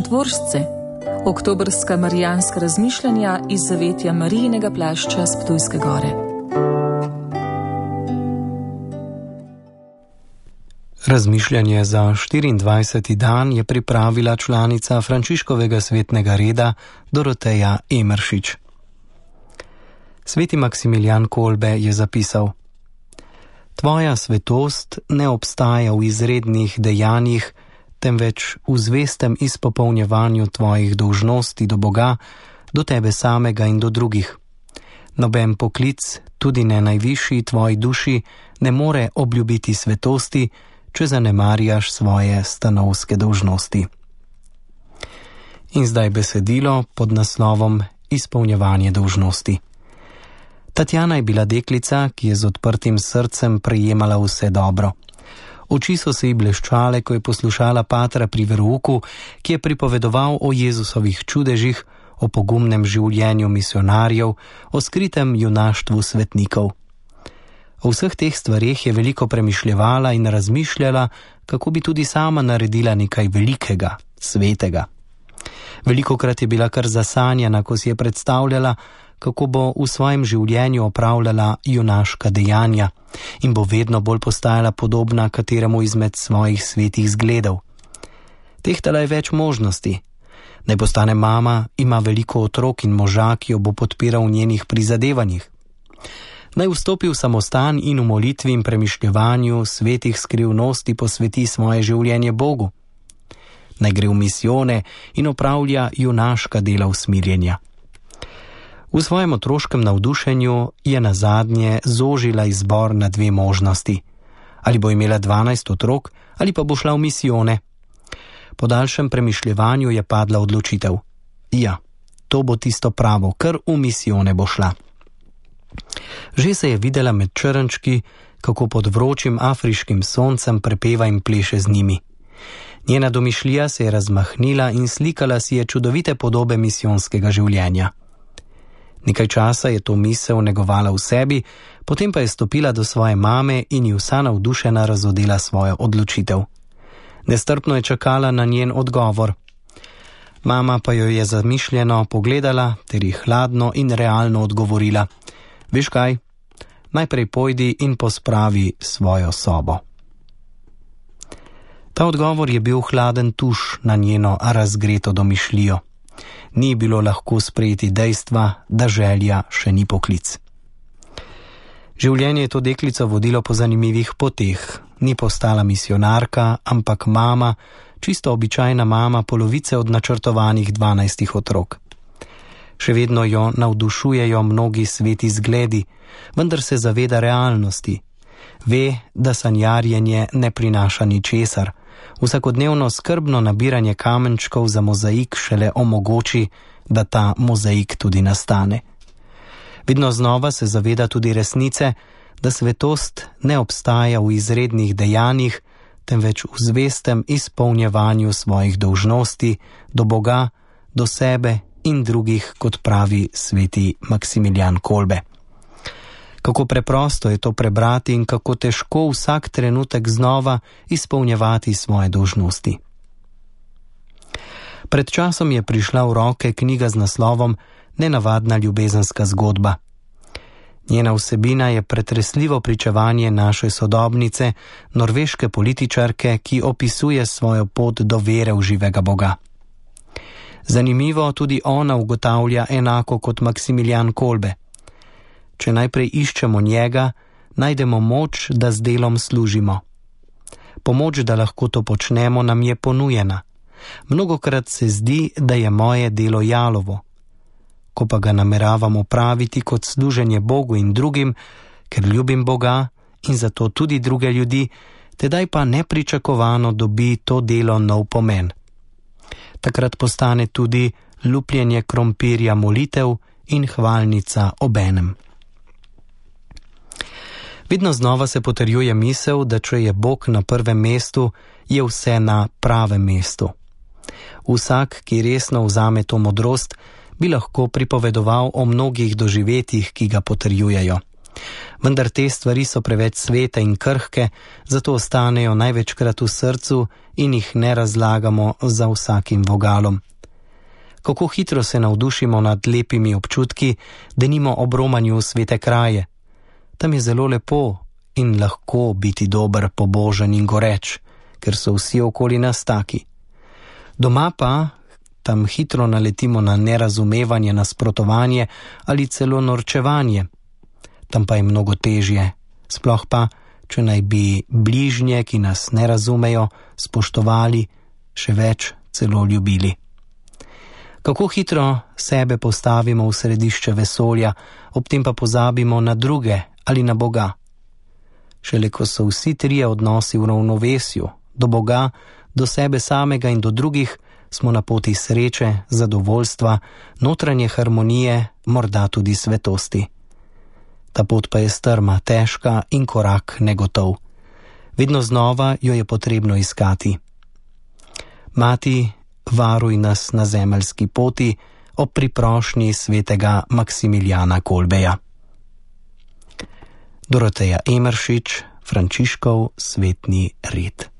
Čudotvorsce, oktobrska marijanska razmišljanja iz zavetja Marijinega plašča s Ptujske gore. Razmišljanje za 24. dan je pripravila članica Frančiškovega svetnega reda Doroteja Emeršič. Sveti Maksimilijan Kolbe je zapisal: Tvoja svetost ne obstaja v izrednih dejanjih, temveč v zvestem izpopolnjevanju tvojih dolžnosti do Boga, do tebe samega in do drugih. Noben poklic, tudi ne najvišji tvoji duši, ne more obljubiti svetosti, če zanemarjaš svoje stanovske dolžnosti. In zdaj besedilo pod naslovom Izpolnjevanje dolžnosti. Tatjana je bila deklica, ki je z odprtim srcem prejemala vse dobro. Oči so se ji bleščale, ko je poslušala patra pri verouku, ki je pripovedoval o Jezusovih čudežih, o pogumnem življenju misionarjev, o skritem junaštvu svetnikov. O vseh teh stvareh je veliko premišljevala in razmišljala, kako bi tudi sama naredila nekaj velikega, svetega. Velikokrat je bila kar zasanjena, ko si je predstavljala, kako bo v svojem življenju opravljala junaška dejanja in bo vedno bolj postajala podobna kateremu izmed svojih svetih zgledov. Tehtala je več možnosti. Naj postane mama, ima veliko otrok in moža, ki jo bo podpiral v njenih prizadevanjih. Naj vstopi v samostan in v molitvi in premišljevanju svetih skrivnosti posveti svoje življenje Bogu. Naj gre v misijone in opravlja junaška dela usmirjenja. V svojem otroškem navdušenju je nazadnje zožila izbor na dve možnosti. Ali bo imela 12 otrok, ali pa bo šla v misijone. Po daljšem premišljevanju je padla odločitev. Ja, to bo tisto pravo, kar v misijone bo šla. Že se je videla med črnčki, kako pod vročim afriškim soncem prepeva in pleše z njimi. Njena domišljija se je razmahnila in slikala si je čudovite podobe misijonskega življenja. Nekaj časa je to misel negovala v sebi, potem pa je stopila do svoje mame in ji vsa navdušena razodela svojo odločitev. Nestrpno je čakala na njen odgovor. Mama pa jo je zamišljeno pogledala ter ji hladno in realno odgovorila: Veš kaj, najprej pojdi in pospravi svojo sobo. Ta odgovor je bil hladen tuš na njeno razgreto domišljijo. Ni bilo lahko sprejeti dejstva, da želja še ni poklic. Življenje je to deklico vodilo po zanimivih poteh. Ni postala misionarka, ampak mama, čisto običajna mama polovice od načrtovanih 12 otrok. Še vedno jo navdušujejo mnogi sveti zgledi, vendar se zaveda realnosti. Ve, da sanjarjenje ne prinaša ničesar. Vsakodnevno skrbno nabiranje kamenčkov za mozaik šele omogoči, da ta mozaik tudi nastane. Vedno znova se zaveda tudi resnice, da svetost ne obstaja v izrednih dejanjih, temveč v zvestem izpolnjevanju svojih dolžnosti do Boga, do sebe in drugih, kot pravi sveti Maksimilijan Kolbe. Kako preprosto je to prebrati in kako težko vsak trenutek znova izpolnjevati svoje dolžnosti. Pred časom je prišla v roke knjiga z naslovom Nenavadna ljubezenska zgodba. Njena vsebina je pretresljivo pričevanje naše sodobnice, norveške političarke, ki opisuje svojo pot do vere v živega Boga. Zanimivo, tudi ona ugotavlja enako kot Maksimilijan Kolbe. Če najprej iščemo njega, najdemo moč, da z delom služimo. Pomoč, da lahko to počnemo, nam je ponujena. Mnogokrat se zdi, da je moje delo jalovo. Ko pa ga nameravam opraviti kot služenje Bogu in drugim, ker ljubim Boga in zato tudi druge ljudi, tedaj pa nepričakovano dobi to delo nov pomen. Takrat postane tudi lupljenje krompirja molitev in hvalnica obenem. Vedno znova se potrjuje misel, da če je Bog na prvem mestu, je vse na pravem mestu. Vsak, ki resno vzame to modrost, bi lahko pripovedoval o mnogih doživetjih, ki ga potrjujejo. Vendar te stvari so preveč svete in krhke, zato ostanejo največkrat v srcu in jih ne razlagamo za vsakim vogalom. Kako hitro se navdušimo nad lepimi občutki, denimo ob romanju v svete kraje. Tam je zelo lepo in lahko biti dober, pobožen in goreč, ker so vsi okoli nas taki. Doma pa tam hitro naletimo na nerazumevanje, nasprotovanje ali celo norčevanje. Tam pa je mnogo težje, sploh pa, če naj bi bližnje, ki nas ne razumejo, spoštovali, še več celo ljubili. Kako hitro sebe postavimo v središče vesolja, ob tem pa pozabimo na druge ali na Boga. Šele ko so vsi trije odnosi v ravnovesju, do Boga, do sebe samega in do drugih, smo na poti sreče, zadovoljstva, notranje harmonije, morda tudi svetosti. Ta pot pa je strma, težka in korak negotov. Vedno znova jo je potrebno iskati. Mati, varuj nas na zemeljski poti ob priprošnji svetega Maksimiljana Kolbeja. Doroteja Emeršič, Frančiškov svetni red.